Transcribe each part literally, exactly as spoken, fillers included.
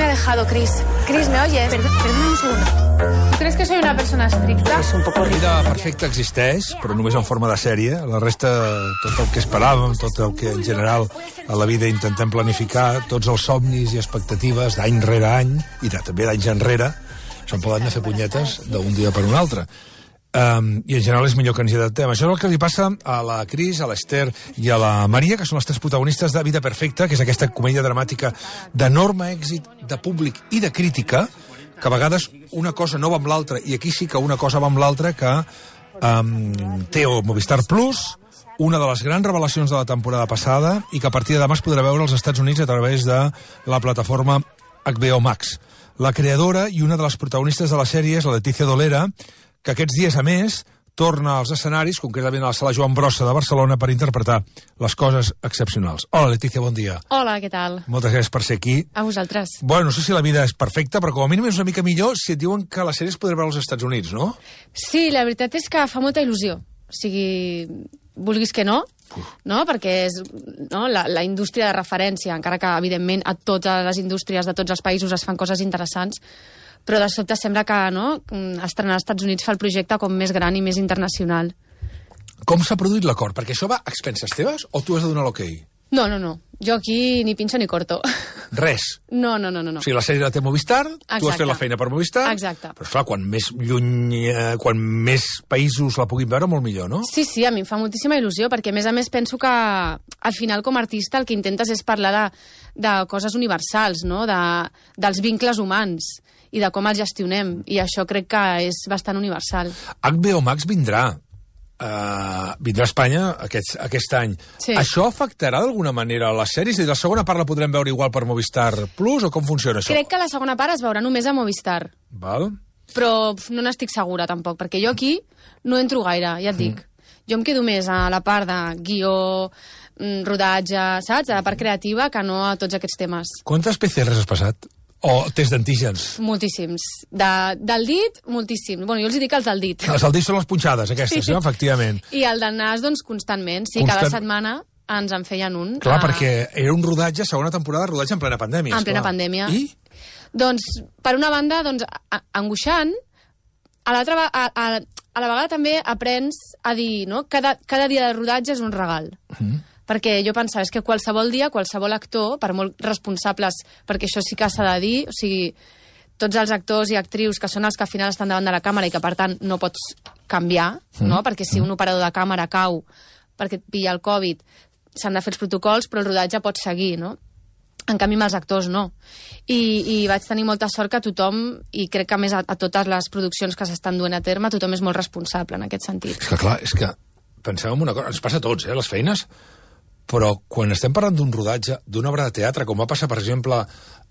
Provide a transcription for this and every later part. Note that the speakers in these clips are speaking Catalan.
dejado Chris. Chris, ¿me oyes? Perdón, perdona un segundo. ¿Tú crees que soy una persona estricta? És un poco la vida perfecta existeix, però només en forma de sèrie. La resta, tot el que esperàvem, tot el que en general a la vida intentem planificar, tots els somnis i expectatives d'any rere any, i de, també d'anys enrere, se'n poden anar a fer punyetes d'un dia per un altre. Um, I en general és millor que ens hi adaptem. Això és el que li passa a la Cris, a l'Ester i a la Maria, que són les tres protagonistes de Vida Perfecta, que és aquesta comèdia dramàtica d'enorme èxit de públic i de crítica, que a vegades una cosa no va amb l'altra, i aquí sí que una cosa va amb l'altra, que um, té el Movistar Plus, una de les grans revelacions de la temporada passada, i que a partir de demà es podrà veure als Estats Units a través de la plataforma H B O Max. La creadora i una de les protagonistes de la sèrie és la Letícia Dolera, que aquests dies, a més, torna als escenaris, concretament a la sala Joan Brossa de Barcelona, per interpretar les coses excepcionals. Hola, Letícia, bon dia. Hola, què tal? Moltes gràcies per ser aquí. A vosaltres. Bueno, no sé si la vida és perfecta, però com a mínim és una mica millor si et diuen que la sèrie es podrà veure als Estats Units, no? Sí, la veritat és que fa molta il·lusió. O sigui, vulguis que no, no? Perquè és no? La, la indústria de referència, encara que, evidentment, a totes les indústries de tots els països es fan coses interessants, però de sobte sembla que no, estrenar als Estats Units fa el projecte com més gran i més internacional. Com s'ha produït l'acord? Perquè això va a expenses teves o tu has de donar l'ok? No, no, no. Jo aquí ni pinxo ni corto. Res? No, no, no, no. O sigui, la sèrie la té Movistar, Exacte. Tu has fet la feina per Movistar. Exacte. Però, esclar, quan més lluny, eh, quan més països la puguin veure, molt millor, no? Sí, sí, a mi em fa moltíssima il·lusió, perquè, a més a més, penso que al final, com a artista, el que intentes és parlar de, de coses universals, no? De, dels vincles humans i de com els gestionem, i això crec que és bastant universal. H B O Max vindrà. Uh, vindrà a Espanya aquest, aquest any. Sí. Això afectarà d'alguna manera a les sèries? I la segona part la podrem veure igual per Movistar Plus, o com funciona això? Crec que la segona part es veurà només a Movistar. Val. Però pf, no n'estic segura, tampoc, perquè jo aquí no entro gaire, ja et dic. Mm. Jo em quedo més a la part de guió, rodatge, saps? A la part creativa, que no a tots aquests temes. Quantes P C Rs has passat? O test d'antígens? Moltíssims. De, del dit, moltíssims. Bueno, jo els dic els del dit. Els del dit són les punxades, aquestes, sí. No? Efectivament. I el del nas, doncs, constantment. Sí, Constant... cada setmana ens en feien un. Clar, a... perquè era un rodatge, segona temporada, rodatge en plena pandèmia. En plena esclar. pandèmia. I? Doncs, per una banda, doncs, angoixant, a l'altra a, a, a la vegada també aprens a dir, no?, cada, cada dia de rodatge és un regal. Mm. Perquè jo pensava, és que qualsevol dia, qualsevol actor, per molt responsables, perquè això sí que s'ha de dir, o sigui, tots els actors i actrius que són els que al final estan davant de la càmera i que, per tant, no pots canviar, mm. no?, perquè si un operador de càmera cau perquè et pilla el Covid, s'han de fer els protocols, però el rodatge pot seguir, no? En canvi, amb els actors no. I, i vaig tenir molta sort que tothom, i crec que més a, a totes les produccions que s'estan duent a terme, tothom és molt responsable en aquest sentit. És que, clar, és que pensem en una cosa, ens passa a tots, eh, les feines, però quan estem parlant d'un rodatge, d'una obra de teatre, com va passar, per exemple,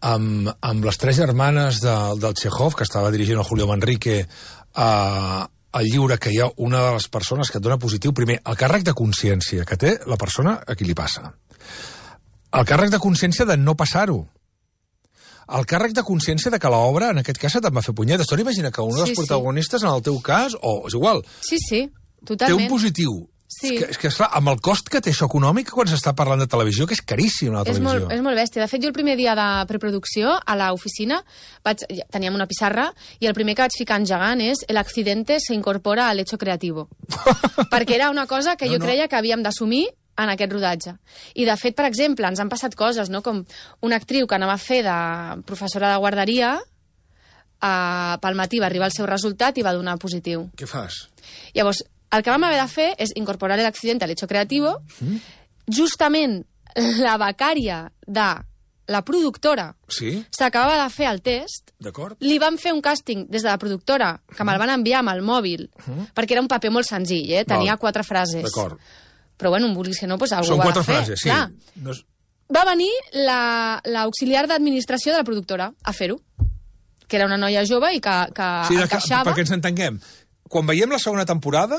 amb, amb les tres germanes de, del Chekhov, que estava dirigint el Julio Manrique, a, al llibre, que hi ha una de les persones que et dona positiu, primer, el càrrec de consciència que té la persona a qui li passa. El càrrec de consciència de no passar-ho. El càrrec de consciència de que l'obra, en aquest cas, te'n va fer punyetes. Tu n'imagina que una de les sí, protagonistes, sí. En el teu cas, o és igual, sí, sí, totalment. té un positiu. Sí. És que, és que, esclar, amb el cost que té això econòmic quan s'està parlant de televisió, que és caríssim, la televisió. És molt, és molt bèstia. De fet, jo el primer dia de preproducció, a l'oficina, vaig, teníem una pissarra, i el primer que vaig ficar en gegant és el accidente se incorpora al hecho creativo. Perquè era una cosa que no, jo no. creia que havíem d'assumir en aquest rodatge. I, de fet, per exemple, ens han passat coses, no?, com una actriu que anava a fer de professora de guarderia, eh, pel matí va arribar el seu resultat i va donar positiu. Què fas? Llavors, el que vam haver de fer és incorporar l'accident a l'hecho creativo. Mm. Justament la becària de la productora sí? s'acabava de fer el test. D'acord. Li van fer un càsting des de la productora, que me'l van enviar amb el mòbil, mm. perquè era un paper molt senzill, eh? Tenia Val. quatre frases. D'acord. Però, bueno, vulguis que no, doncs algú Són ho ha quatre de fer. frases, sí. No és... Va venir l'auxiliar la, d'administració de la productora a fer-ho, que era una noia jove i que, que sí, encaixava... Perquè ens entenguem, quan veiem la segona temporada,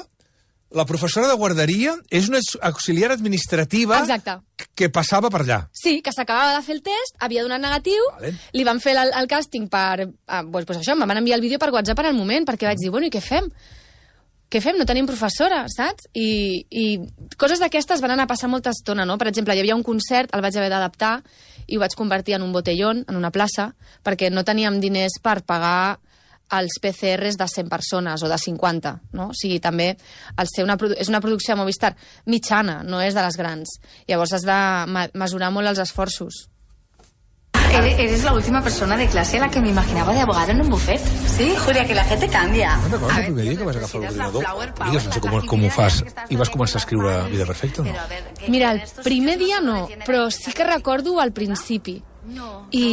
la professora de guarderia és una auxiliar administrativa Exacte. que passava per allà. Sí, que s'acabava de fer el test, havia donat negatiu, vale. Li van fer el, el càsting per... Ah, doncs, pues això, em van enviar el vídeo per WhatsApp en el moment, perquè vaig dir, bueno, i què fem? què fem? No tenim professora, saps? I, i coses d'aquestes van anar a passar molta estona, no? Per exemple, hi havia un concert, el vaig haver d'adaptar i ho vaig convertir en un botellón, en una plaça, perquè no teníem diners per pagar els P C Rs de cent persones o de cinquanta, no? O sigui, també el ser una, és una producció de Movistar mitjana, no és de les grans. Llavors has de mesurar molt els esforços. Eres la última persona de clase a la que me imaginaba de abogado en un buffet. Sí, Julia, que la gente cambia. No recordes el primer dia que vas agafar l'ordinador? Digues, no sé com, com ho fas. I vas començar a escriure Vida Perfecta, no? Mira, el primer dia no, però sí que recordo al principi. I...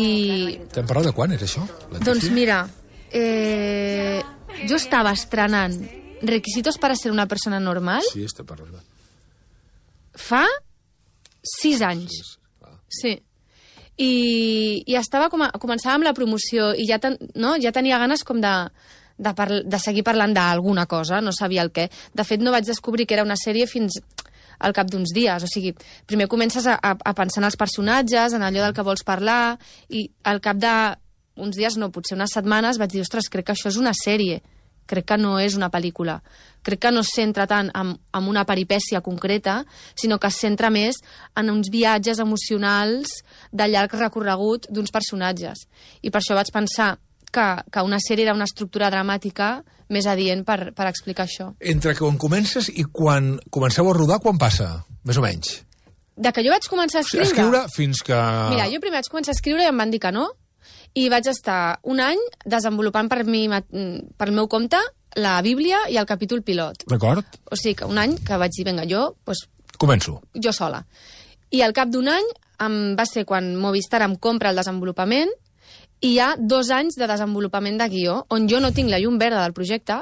T'hem parlat de quan, era això? Doncs mira, eh, jo estava estrenant Requisitos para ser una persona normal. Sí, estem parlant. Fa sis anys. Sí. I, i estava com a, començava amb la promoció i ja, ten, no? ja tenia ganes com de, de, parl, de seguir parlant d'alguna cosa, no sabia el què. De fet, no vaig descobrir que era una sèrie fins al cap d'uns dies. O sigui, primer comences a, a, a pensar en els personatges, en allò del que vols parlar, i al cap d'uns dies, no, potser unes setmanes, vaig dir, ostres, crec que això és una sèrie. Crec que no és una pel·lícula. Crec que no es centra tant en, en una peripècia concreta, sinó que es centra més en uns viatges emocionals de llarg recorregut d'uns personatges. I per això vaig pensar que, que una sèrie era una estructura dramàtica més adient per, per explicar això. Entre quan comences i quan comenceu a rodar, quan passa? Més o menys. De que jo vaig començar a escriure... Escriure fins que... Mira, jo primer vaig començar a escriure i em van dir que no, i vaig estar un any desenvolupant per, mi, per el meu compte la Bíblia i el capítol pilot. D'acord. O sigui, que un any que vaig dir, vinga, jo... Pues, començo. Jo sola. I al cap d'un any em, va ser quan Movistar em compra el desenvolupament i hi ha dos anys de desenvolupament de guió, on jo no tinc la llum verda del projecte,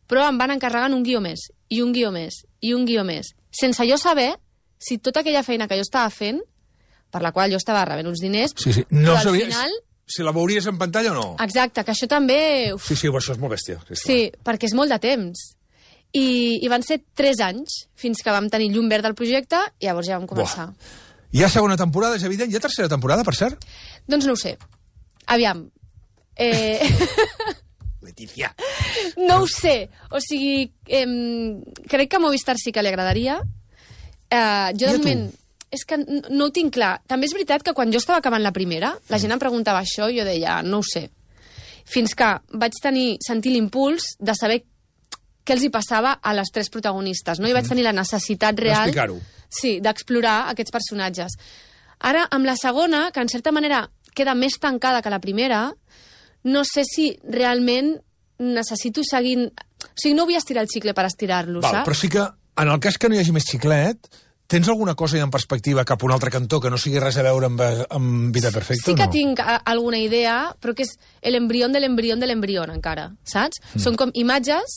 però em van encarregant un guió més, i un guió més, i un guió més, sense jo saber si tota aquella feina que jo estava fent, per la qual jo estava rebent uns diners, sí, sí. No però al sabies... final... Si la veuries en pantalla o no? Exacte, que això també... Uf. Sí, sí, això és molt bèstia. Sí, sí, perquè és molt de temps. I, I van ser tres anys fins que vam tenir llum verda al projecte i llavors ja vam començar. Buah. Hi ha segona temporada, és evident? Hi ha tercera temporada, per cert? Doncs no ho sé. Aviam. Eh... Letícia. No ho sé. O sigui, eh, crec que a Movistar sí que li agradaria. Eh, jo, de moment... És que no ho tinc clar. També és veritat que quan jo estava acabant la primera, la gent em preguntava això i jo deia, no ho sé. Fins que vaig tenir, sentir l'impuls de saber què els hi passava a les tres protagonistes, no? I vaig tenir la necessitat real... D'explicar-ho. Sí, d'explorar aquests personatges. Ara, amb la segona, que en certa manera queda més tancada que la primera, no sé si realment necessito seguir... O sigui, no vull estirar el xicle per estirar-lo, saps? Però sí que, en el cas que no hi hagi més xiclet... Tens alguna cosa ja en perspectiva cap a un altre cantó que no sigui res a veure amb, amb Vida Perfecta sí o no? Sí que tinc a, alguna idea, però que és l'embrió de l'embrió de l'embrió encara, saps? Mm. Són com imatges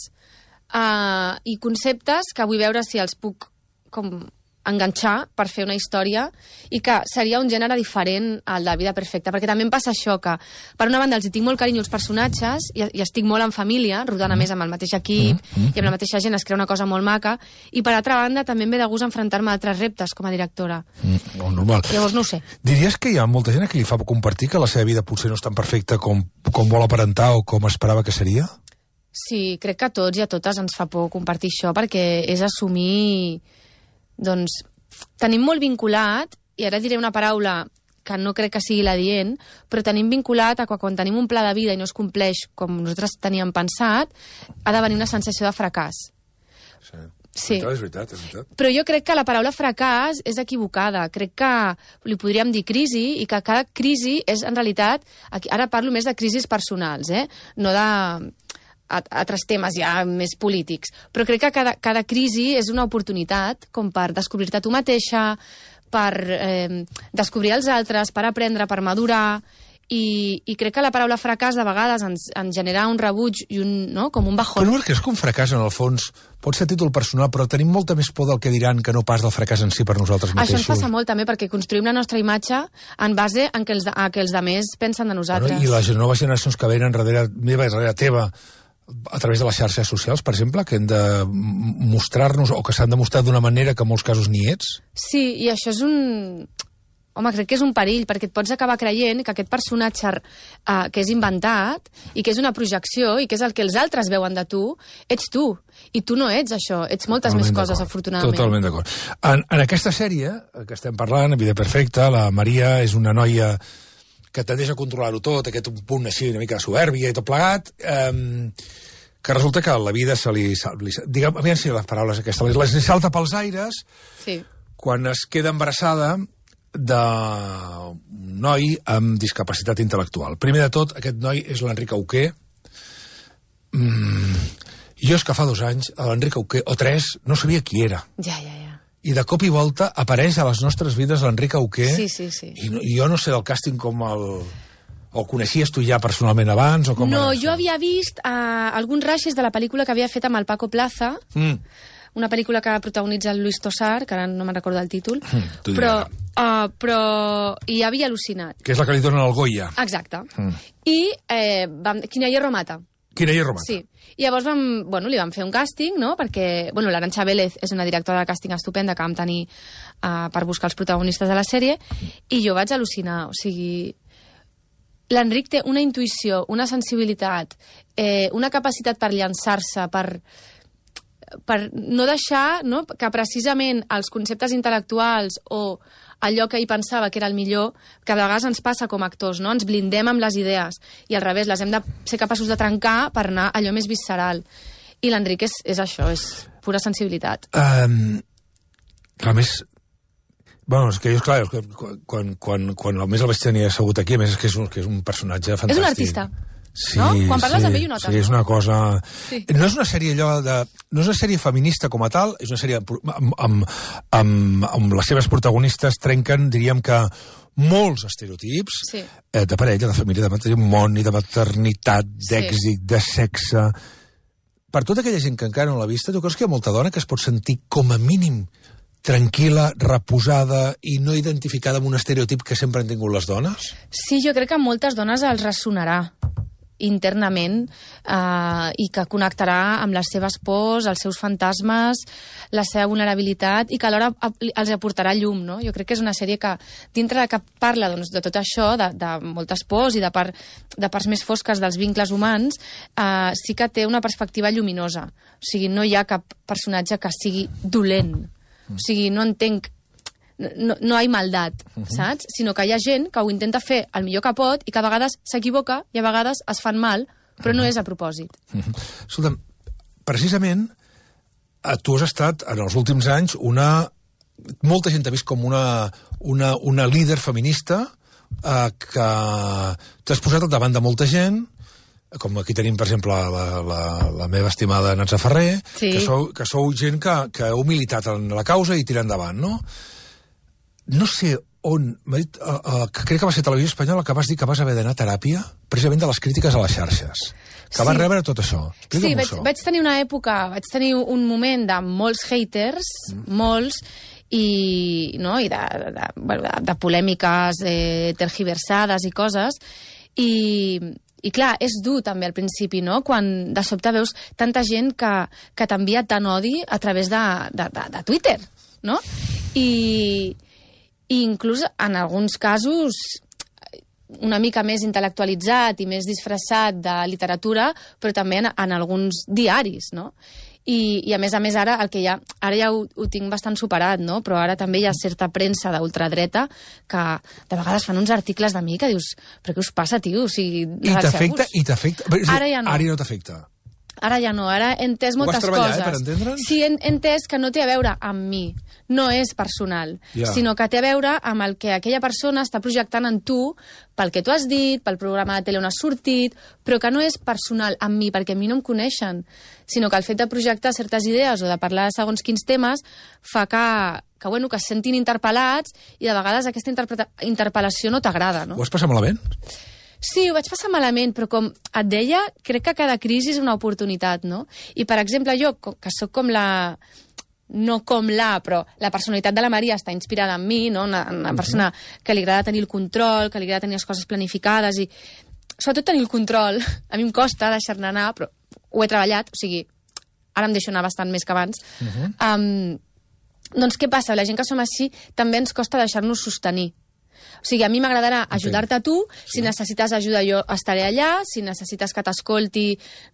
uh, i conceptes que vull veure si els puc com enganxar per fer una història i que seria un gènere diferent al de Vida Perfecta, perquè també em passa això que, per una banda, els hi tinc molt carinyo als personatges i, i estic molt en família, rodant a més amb el mateix equip mm -hmm. i amb la mateixa gent es crea una cosa molt maca, i per altra banda també em ve de gust enfrontar-me a altres reptes com a directora. Mm, molt normal. Llavors no ho sé. Diries que hi ha molta gent que li fa compartir que la seva vida potser no és tan perfecta com, com vol aparentar o com esperava que seria? Sí, crec que a tots i a totes ens fa por compartir això, perquè és assumir... Doncs tenim molt vinculat, i ara diré una paraula que no crec que sigui l'adient, però tenim vinculat a que quan tenim un pla de vida i no es compleix com nosaltres teníem pensat, ha de venir una sensació de fracàs. Sí, sí. És veritat, és veritat. Però jo crec que la paraula fracàs és equivocada. Crec que li podríem dir crisi, i que cada crisi és, en realitat, aquí, ara parlo més de crisis personals, eh? No de... altres temes ja més polítics. Però crec que cada, cada crisi és una oportunitat com per descobrir-te tu mateixa, per eh, descobrir els altres, per aprendre, per madurar, i, i crec que la paraula fracàs de vegades ens, ens genera un rebuig i un, no? Com un bajón. Però no perquè és que un fracàs, en el fons, pot ser títol personal, però tenim molta més por del que diran que no pas del fracàs en si per nosaltres mateixos. Això ens passa molt també, perquè construïm la nostra imatge en base en que els, a que els altres pensen de nosaltres. Bueno, i les noves generacions que venen darrere meva i darrere teva, a través de les xarxes socials, per exemple, que hem de mostrar-nos, o que s'han de mostrar d'una manera que en molts casos ni ets? Sí, i això és un... home, crec que és un perill, perquè et pots acabar creient que aquest personatge uh, que és inventat i que és una projecció i que és el que els altres veuen de tu, ets tu. I tu no ets això, ets moltes Totalment més coses, afortunadament. Totalment d'acord. En, en aquesta sèrie que estem parlant, Vida Perfecta, la Maria és una noia que tendeix a controlar-ho tot, aquest punt així una mica de soberbia i tot plegat, eh, que resulta que la vida se li... li diguem, aviam si les paraules aquestes, les li salta pels aires Sí. quan es queda embarassada d'un noi amb discapacitat intel·lectual. Primer de tot, aquest noi és l'Enric Auqué. Mm, jo és que fa dos anys, l'Enric Auqué, o tres, no sabia qui era. Ja, ja, ja. I de cop i volta apareix a les nostres vides l'Enric Auqué. Sí, sí, sí. I, no, I jo no sé del càsting com el... O coneixies tu ja personalment abans? O com No, era jo això? havia vist uh, alguns rashes de la pel·lícula que havia fet amb el Paco Plaza, Mm. una pel·lícula que protagonitza el Luis Tosar, que ara no me'n recordo el títol, Mm, t'ho diré però, ara. uh, però hi havia al·lucinat. Que és la que li donen el Goya. Exacte. Mm. I eh, vam... Quina hierro mata. Quina hi Romata. Sí. I llavors vam, bueno, li vam fer un càsting, no?, perquè, bueno, l'Arantxa Vélez és una directora de càsting estupenda que vam tenir uh, per buscar els protagonistes de la sèrie, i jo vaig al·lucinar, o sigui... L'Enric té una intuïció, una sensibilitat, eh, una capacitat per llançar-se, per, per no deixar, no?, que precisament els conceptes intel·lectuals o allò que ell pensava que era el millor, que a vegades ens passa com a actors, no? Ens blindem amb les idees i al revés, les hem de ser capaços de trencar per anar a allò més visceral. I l'Enric és, és això, és pura sensibilitat. Um, a més... Bueno, és que jo, clar, quan, quan, quan a més el vaig tenir assegut aquí, a més és que és un, que és un personatge fantàstic. És un artista. Sí, No? Quan parles sí, amb ell ho notes, sí, és no? una cosa... Sí. No és una sèrie allò de... No és una sèrie feminista com a tal, és una sèrie amb, amb, amb, amb les seves protagonistes trenquen, diríem que, molts estereotips Sí. eh, de parella, de família, de matrimoni, de maternitat, d'èxit, de sexe... Per tota aquella gent que encara no l'ha vista, tu creus que hi ha molta dona que es pot sentir com a mínim tranquil·la, reposada i no identificada amb un estereotip que sempre han tingut les dones? Sí, jo crec que a moltes dones els ressonarà internament eh, i que connectarà amb les seves pors, els seus fantasmes, la seva vulnerabilitat i que alhora els aportarà llum, no? Jo crec que és una sèrie que, dintre de que parla doncs, de tot això, de, de moltes pors i de, part, de parts més fosques dels vincles humans, eh, sí que té una perspectiva lluminosa. O sigui, no hi ha cap personatge que sigui dolent. O sigui, no entenc... No, no hi ha maldat, uh -huh. saps? Sinó que hi ha gent que ho intenta fer el millor que pot i que a vegades s'equivoca i a vegades es fan mal, però uh -huh. no és a propòsit. Uh -huh. Escolta'm, precisament tu has estat, en els últims anys, una... Molta gent t'ha vist com una, una, una líder feminista eh, que t'has posat al davant de molta gent, com aquí tenim, per exemple, la, la, la meva estimada Natza Ferrer, Sí. que, sou, que sou gent que, que heu militat en la causa i tirar endavant, no? No sé on... M'ha dit, uh, uh, que crec que va ser Televisió Espanyola que vas dir que vas haver d'anar a teràpia precisament de les crítiques a les xarxes. Que Sí. vas rebre tot això. Explica'm Sí, vaig, això. vaig tenir una època, vaig tenir un moment de molts haters, mm. molts, i, no, i de, de, bueno, de, de polèmiques eh, tergiversades i coses, i, i clar, és dur també al principi, no?, quan de sobte veus tanta gent que, que t'envia tant odi a través de, de, de, de Twitter, no? I, i inclús en alguns casos una mica més intel·lectualitzat i més disfressat de literatura, però també en, en alguns diaris, no? I, I a més a més ara el que ja, ara ja ho, ho tinc bastant superat, no? Però ara també hi ha certa premsa d'ultradreta que de vegades fan uns articles de mi que dius, però què us passa, tio? O sigui, I t'afecta, i t'afecta. Ara ja no. Ara ja no t'afecta. Ara ja no, ara he entès Ho vas moltes treballar, coses. eh, per entendre'ns? Sí, he entès que no té a veure amb mi, no és personal, Ja. sinó que té a veure amb el que aquella persona està projectant en tu, pel que tu has dit, pel programa de tele on has sortit, però que no és personal amb mi, perquè a mi no em coneixen, sinó que el fet de projectar certes idees o de parlar de segons quins temes fa que, que, bueno, que es sentin interpel·lats i de vegades aquesta interpreta- interpel·lació no t'agrada, no? Ho vas passar malament? Sí, ho vaig passar malament, però com et deia, crec que cada crisi és una oportunitat, no? I, per exemple, jo, co- que sóc com la... no com la, però la personalitat de la Maria està inspirada en mi, no? Una, una persona que li agrada tenir el control, que li agrada tenir les coses planificades i, sobretot, tenir el control. A mi em costa deixar-ne anar, però ho he treballat, o sigui, ara em deixo anar bastant més que abans. Uh-huh. um, doncs què passa? La gent que som així també ens costa deixar-nos sostenir. O sigui, a mi m'agradarà ajudar-te a tu, sí. Si necessites ajuda jo estaré allà, si necessites que t'escolti,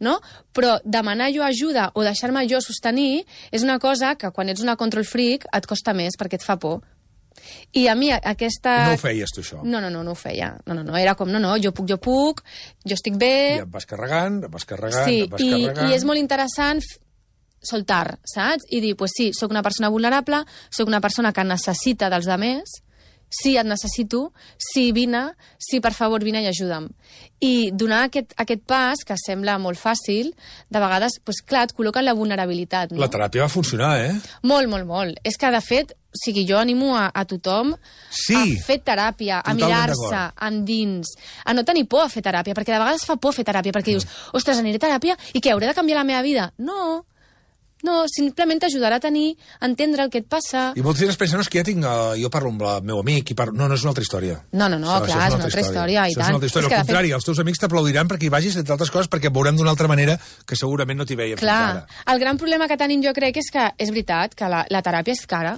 no? Però demanar jo ajuda o deixar-me jo sostenir és una cosa que quan ets una control freak et costa més perquè et fa por. I a mi aquesta... I no ho feies, tu, això? No, no, no, no ho feia. No, no, no, era com, no, no, jo puc, jo puc, jo estic bé... I em vas carregant, em vas carregant, sí, em vas i, carregant... i és molt interessant soltar, saps? I dir, pues sí, sóc una persona vulnerable, sóc una persona que necessita dels altres, sí, et necessito, sí, vine, sí, per favor, vine i ajuda'm. I donar aquest, aquest pas, que sembla molt fàcil, de vegades, pues, clar, et col·loca en la vulnerabilitat. No? La teràpia va funcionar, eh? Molt, molt, molt. És que, de fet, o sigui, jo animo a, a tothom sí, a fer teràpia, a mirar-se endins, a no tenir por a fer teràpia, perquè de vegades fa por fer teràpia, perquè dius, ostres, aniré a teràpia i què, hauré de canviar la meva vida? No, no, simplement t'ajudarà a tenir, a entendre el que et passa. I moltes vegades pensen, no, és que ja tinc... Uh, jo parlo amb el meu amic i parlo... No, no és una altra història. No, no, no, això, clar, això és una altra història, i això tant. És una altra història. Al contrari, fet... els teus amics t'aplaudiran perquè hi vagis, entre altres coses, perquè et veurem d'una altra manera que segurament no t'hi veiem clar, fins ara. El gran problema que tenim jo crec és que és veritat que la, la teràpia és cara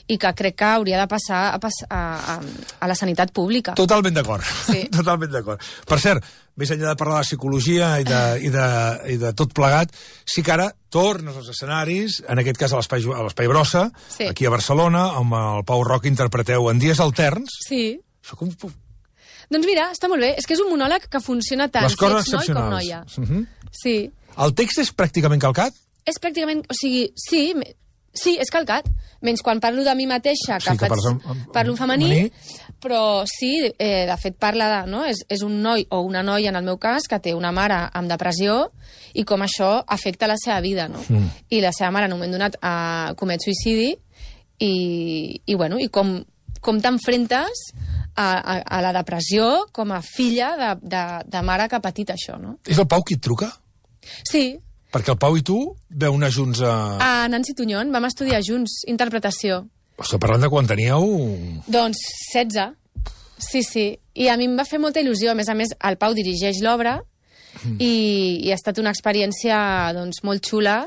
i que crec que hauria de passar a, pas, a, a, a la sanitat pública. Totalment d'acord. Sí. Totalment d'acord. Per cert, més enllà de parlar de psicologia i de, i de, i de tot plegat, sí que ara tornes als escenaris, en aquest cas a l'Espai a l'Espai Brossa, sí. Aquí a Barcelona, amb el Pau Roca interpreteu En dies alterns. Sí. Soc un... Doncs mira, està molt bé. És que és un monòleg que funciona tant les coses si ets noi com noia. Uh -huh. Sí. El text és pràcticament calcat? És pràcticament... O sigui, sí... Sí, és calcat, menys quan parlo de mi mateixa, que, sí, que faig, en, en, parlo en femení, femení, però sí, eh, de fet parla de... No? És, és un noi o una noia, en el meu cas, que té una mare amb depressió i com això afecta la seva vida, no? Mm. I la seva mare, en un moment donat, eh, comet suïcidi i, i, bueno, i com, com t'enfrentes a, a, a la depressió com a filla de, de, de mare que ha patit això, no? És el Pau qui et truca? Sí. Perquè el Pau i tu veu anar junts a... A Nancy Tuñón, vam estudiar junts, interpretació. Estic parlant de quan teníeu... Doncs setze. Sí, sí. I a mi em va fer molta il·lusió. A més a més, el Pau dirigeix l'obra mm. i, i ha estat una experiència doncs, molt xula.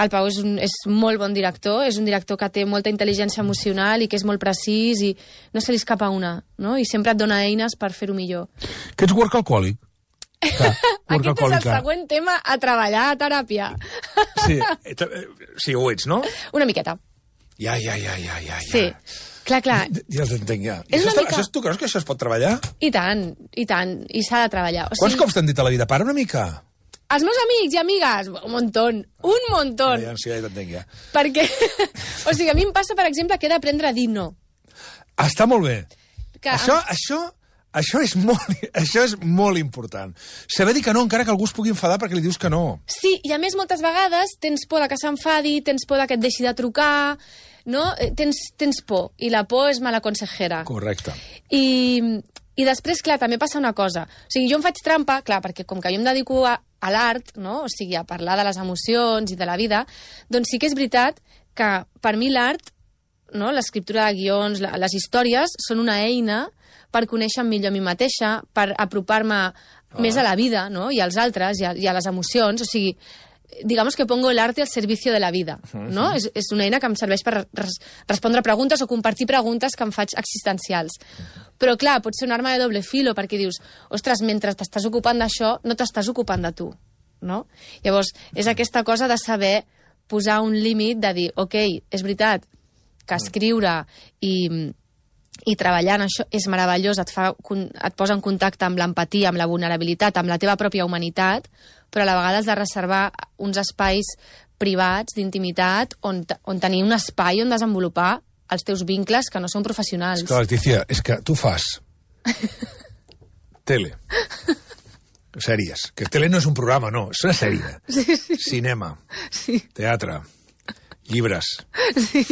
El Pau és, un, és molt bon director, és un director que té molta intel·ligència emocional i que és molt precís i no se li escapa una, no? I sempre et dona eines per fer-ho millor. Que ets workaholic? Aquest és el següent tema a treballar a teràpia. Sí, sí, ho ets, no? Una miqueta. Ja, ja, ja, ja, ja. Sí, clar, clar. Ja t'entenc, ja. És això, una mica... això, tu creus que això es pot treballar? I tant, i tant, i s'ha de treballar. O sigui... Quants cops t'han dit a la vida? Para una mica. Els meus amics i amigues, un montón, un montón. Ja, ja, sí, ja t'entenc, ja. Perquè, o sigui, a mi em passa, per exemple, que he d'aprendre a dir no. Està molt bé. Que... Això, això... Això és, molt, això és molt important. Saber dir que no, encara que algú es pugui enfadar perquè li dius que no. Sí, i a més moltes vegades tens por de que s'enfadi, tens por de que et deixi de trucar, no? Tens, tens por, i la por és mala consejera. Correcte. I, i després, clar, també passa una cosa. O sigui, jo em faig trampa, clar, perquè com que jo em dedico a, a l'art, no? O sigui, a parlar de les emocions i de la vida, doncs sí que és veritat que per mi l'art, no? L'escriptura de guions, la, les històries, són una eina per conèixer millor a mi mateixa, per apropar-me ah. més a la vida, no? I als altres, i a, i a les emocions. O sigui, digamos que pongo el arte al servicio de la vida, no? Uh-huh. és, és una eina que em serveix per res, respondre preguntes o compartir preguntes que em faig existencials. Uh-huh. Però, clar, pot ser una arma de doble filo, perquè dius, ostres, mentre t'estàs ocupant d'això, no t'estàs ocupant de tu, no? Llavors, és aquesta cosa de saber posar un límit, de dir, ok, és veritat que escriure i... i treballar en això és meravellós, et, fa, et posa en contacte amb l'empatia, amb la vulnerabilitat, amb la teva pròpia humanitat, però a la vegada has de reservar uns espais privats, d'intimitat, on, on tenir un espai on desenvolupar els teus vincles que no són professionals. És que, Leticia, és que tu fas tele, sèries, que tele no és un programa, no, és una sèrie, sí, sí. Cinema, sí. Teatre, llibres. Sí.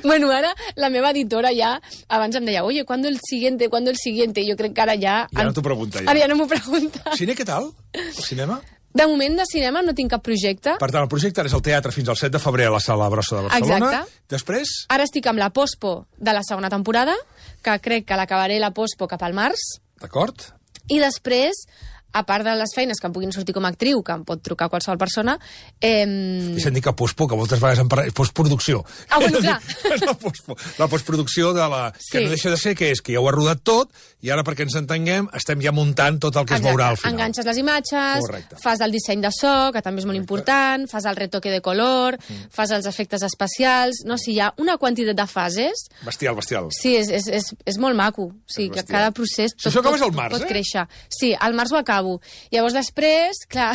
Bueno, ara la meva editora ja abans em deia, oye, ¿cuándo el siguiente? ¿Cuándo el siguiente? Jo crec que ara ja... Ja no t'ho pregunta, ja. Ara ja no m'ho pregunta. Cine, què tal? El cinema? De moment de cinema no tinc cap projecte. Per tant, el projecte és el teatre fins al set de febrer a la Sala Brossa de Barcelona. Exacte. Després? Ara estic amb la pospo de la segona temporada, que crec que l'acabaré la pospo cap al març. D'acord. I després a part de les feines que em puguin sortir com a actriu, que em pot trucar qualsevol persona... Eh... Deixa'm dir que postpo, que moltes vegades em parla... Postproducció. Ah, bueno, clar. La, postpo, la postproducció de la... Sí. Que no deixa de ser, que és que ja ho ha rodat tot, i ara, perquè ens entenguem, estem ja muntant tot el que es veurà al final. Enganxes les imatges, Correcte. Fas el disseny de so, que també és molt Correcte. Important, fas el retoque de color, mm. fas els efectes especials... No, o sigui, hi ha una quantitat de fases... Bestial, bestial. Sí, és, és, és, és molt maco. O sigui, que cada procés... Tot, si això acabes al març, pot eh? créixer. Sí, al març ho acabo. Llavors, després, clar,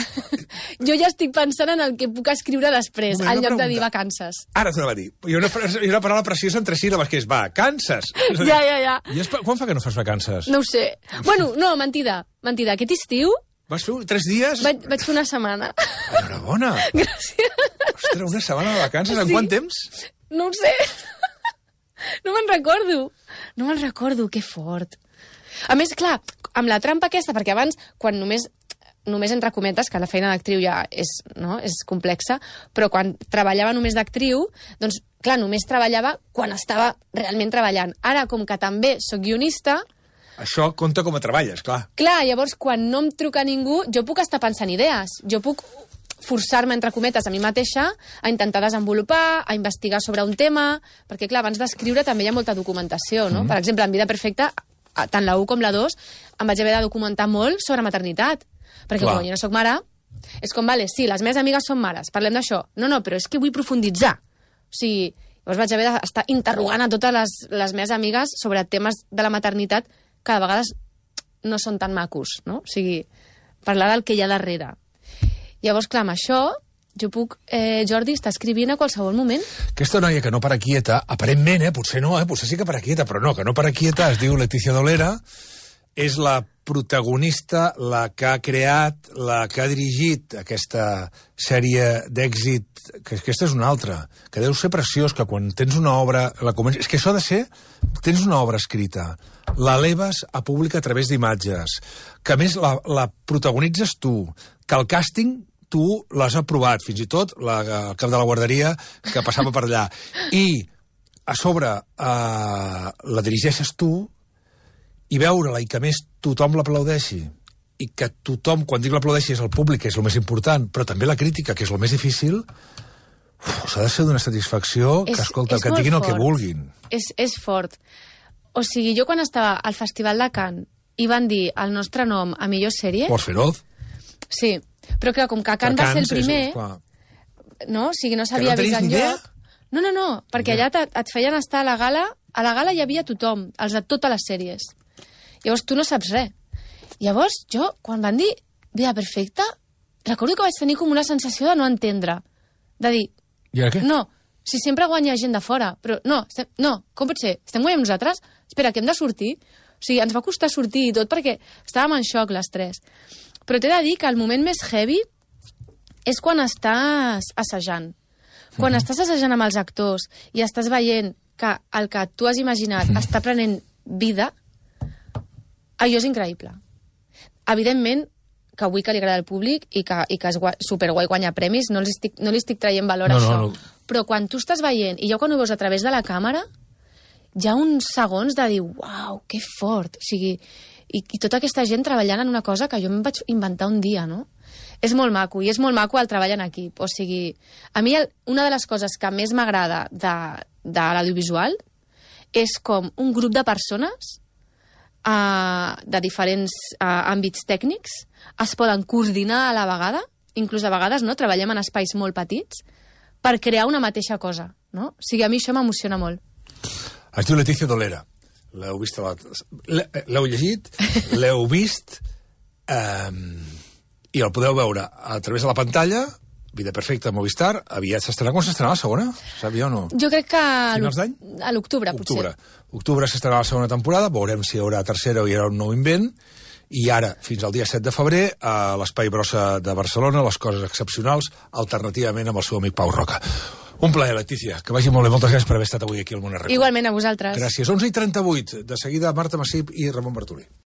jo ja estic pensant en el que puc escriure després, en lloc de dir vacances. Ara t'ho anava a dir. Hi ha una, hi ha una paraula preciosa entre síl·labes, que és vacances. Ja, ja, ja. I és, quan fa que no fas vacances? No ho sé. Bueno, no, mentida. Mentida. Aquest estiu... Vas fer tres dies? Vaig, vaig fer una setmana. Enhorabona. Gràcies. Ostres, una setmana de vacances? En sí. Quant temps? No ho sé. No me'n recordo. No me'n recordo, que fort. A més, clar, amb la trampa aquesta, perquè abans, quan només, només entre cometes, que la feina d'actriu ja és, no, és complexa, però quan treballava només d'actriu, doncs, clar, només treballava quan estava realment treballant. Ara, com que també sóc guionista... Això compta com a treballes, clar. Clar, llavors, quan no em truca ningú, jo puc estar pensant idees. Jo puc forçar-me, entre cometes, a mi mateixa, a intentar desenvolupar, a investigar sobre un tema, perquè, clar, abans d'escriure també hi ha molta documentació, no? Mm. Per exemple, en Vida Perfecta, tant la u com la dos, em vaig haver de documentar molt sobre maternitat. Perquè Clar. Com jo no soc mare, és com, vale, sí, les meves amigues són mares, parlem d'això. No, no, però és que vull profunditzar. O sigui, llavors vaig haver d'estar interrogant a totes les, les meves amigues sobre temes de la maternitat que de vegades no són tan macos, no? O sigui, parlar del que hi ha darrere. Llavors, clar, amb això... Jo puc, eh, Jordi, estar escrivint a qualsevol moment. Aquesta noia que no para quieta, aparentment, eh, potser no, eh, potser sí que para quieta, però no, que no para quieta, es diu Letícia Dolera, és la protagonista, la que ha creat, la que ha dirigit aquesta sèrie d'èxit, que aquesta és una altra, que deu ser preciós, que quan tens una obra... La comences... És que això ha de ser... Tens una obra escrita, l'eleves a públic a través d'imatges, que a més la, la protagonitzes tu, que el càsting... tu l'has aprovat, fins i tot la, el cap de la guarderia que passava per allà. I a sobre eh, la dirigeixes tu i veure-la i que més tothom l'aplaudeixi i que tothom, quan dic l'aplaudeixi, és el públic, que és el més important, però també la crítica, que és el més difícil, s'ha de ser d'una satisfacció que, és, escolta, que et diguin fort. El que vulguin. És, és fort. O sigui, jo quan estava al Festival de Cannes i van dir el nostre nom a millor sèrie... Pots feroz? Sí. Però clar, com que Cannes va ser el primer, és, no? O sigui, no s'havia no vist enlloc. No, no, no, perquè allà et feien estar a la gala, a la gala hi havia tothom, els de totes les sèries. Llavors tu no saps res. Llavors jo, quan van dir Vida Perfecta, recordo que vaig tenir com una sensació de no entendre. De dir, I ara què? No, si sempre guanya gent de fora, però no, estem, no, com pot ser? Estem guanyant nosaltres? Espera, que hem de sortir? O sigui, ens va costar sortir i tot perquè estàvem en xoc les tres. Però t'he de dir que el moment més heavy és quan estàs assajant. Quan uh-huh. estàs assajant amb els actors i estàs veient que el que tu has imaginat uh-huh. està prenent vida, allò és increïble. Evidentment, que vull que li agrada al públic i que, i que és guai, superguai guanyar premis, no li estic, no li estic traient valor no, a això. No, no. Però quan tu estàs veient, i ja quan ho veus a través de la càmera, hi ha uns segons de dir, uau, que fort. O sigui, i, i tota aquesta gent treballant en una cosa que jo em vaig inventar un dia, no? És molt maco, i és molt maco el treball en equip. O sigui, a mi el, una de les coses que més m'agrada de, de l'audiovisual és com un grup de persones uh, de diferents uh, àmbits tècnics es poden coordinar a la vegada, inclús a vegades no, treballem en espais molt petits, per crear una mateixa cosa. No? O sigui, a mi això m'emociona molt. Es diu Letícia Dolera. L'heu vist? L'heu llegit? L'heu vist? Um, I el podeu veure a través de la pantalla. Vida Perfecta, Movistar. Aviat s'estrenarà. Quan s'estrenarà la segona? Sabia o no? Jo crec que finals d'any? A l'octubre, potser. Octubre s'estrenarà la segona temporada. Veurem si hi haurà tercera o hi haurà un nou invent. I ara, fins al dia set de febrer, a l'Espai Brossa de Barcelona, les coses excepcionals, alternativament amb el seu amic Pau Roca. Un plaer, Letícia. Que vagi molt bé. Moltes gràcies per haver estat avui aquí al Món Arreu. Igualment a vosaltres. Gràcies. onze i trenta-vuit. De seguida, Marta Massip i Ramon Bartolí.